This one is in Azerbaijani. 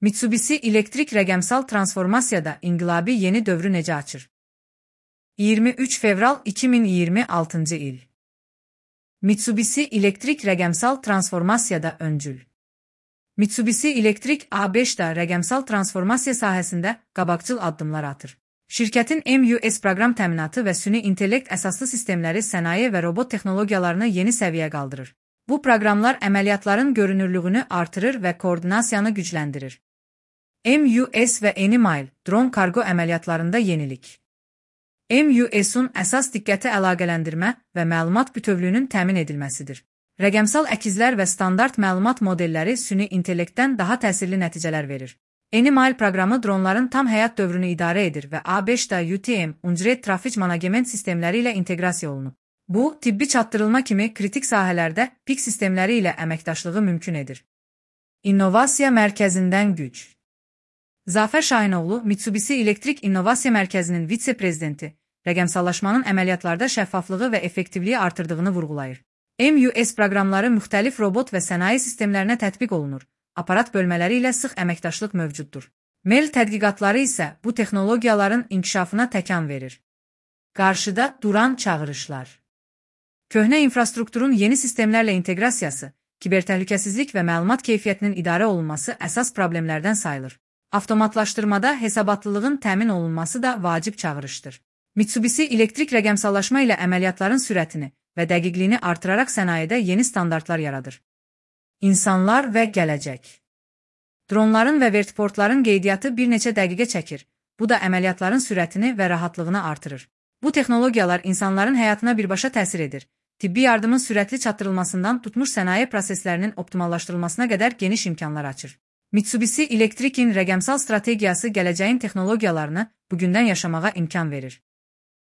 Mitsubishi elektrik rəqəmsal transformasiyada inqilabi yeni dövrü necə açır? 23 fevral 2026 il. Mitsubishi elektrik rəqəmsal transformasiyada öncül. Mitsubishi elektrik A5-da rəqəmsal transformasiya sahəsində qabaqcıl addımlar atır. Şirkətin MUS proqram təminatı və süni intellekt əsaslı sistemləri sənaye və robot texnologiyalarını yeni səviyyə qaldırır. Bu proqramlar əməliyyatların görünürlüyünü artırır və koordinasiyanı gücləndirir. MUS və Enimile dron kargo əməliyyatlarında yenilik. MUS-un əsas diqqəti əlaqələndirmə və məlumat bütövlüyünün təmin edilməsidir. Rəqəmsal əkizlər və standart məlumat modelləri süni intellektdən daha təsirli nəticələr verir. Enimile proqramı dronların tam həyat dövrünü idarə edir və A5-da UTM, Unreal Traffic Management sistemləri ilə inteqrasiya olunub. Bu, tibbi çatdırılma kimi kritik sahələrdə PIC sistemləri ilə əməkdaşlığı mümkün edir. İnnovasiya mərkəzindən güc. Zafər Şahinoğlu, Mitsubishi Elektrik İnnovasiya Mərkəzinin vitse-prezidenti, rəqəmsallaşmanın əməliyyatlarda şəffaflığı və effektivliyi artırdığını vurğulayır. MUS proqramları müxtəlif robot və sənaye sistemlərinə tətbiq olunur, aparat bölmələri ilə sıx əməkdaşlıq mövcuddur. MEL tədqiqatları isə bu texnologiyaların inkişafına təkan verir. Qarşıda duran çağırışlar. Köhnə infrastrukturun yeni sistemlərlə inteqrasiyası, kibertəhlükəsizlik və məlumat keyfiyyətinin idarə olunması əsas problemlərdən sayılır. Avtomatlaşdırmada hesabatlılığın təmin olunması da vacib çağırışdır. Mitsubishi elektrik rəqəmsallaşma ilə əməliyyatların sürətini və dəqiqliyini artıraraq sənayedə yeni standartlar yaradır. İnsanlar və gələcək. Dronların və vertiportların qeydiyyatı bir neçə dəqiqə çəkir. Bu da əməliyyatların sürətini və rahatlığını artırır. Bu texnologiyalar insanların həyatına birbaşa təsir edir. Tibbi yardımın sürətli çatdırılmasından tutmuş sənaye proseslərinin optimallaşdırılmasına qədər geniş imkanlar açır. Mitsubishi Elektrikin rəqəmsal strategiyası gələcəyin texnologiyalarını bugündən yaşamağa imkan verir.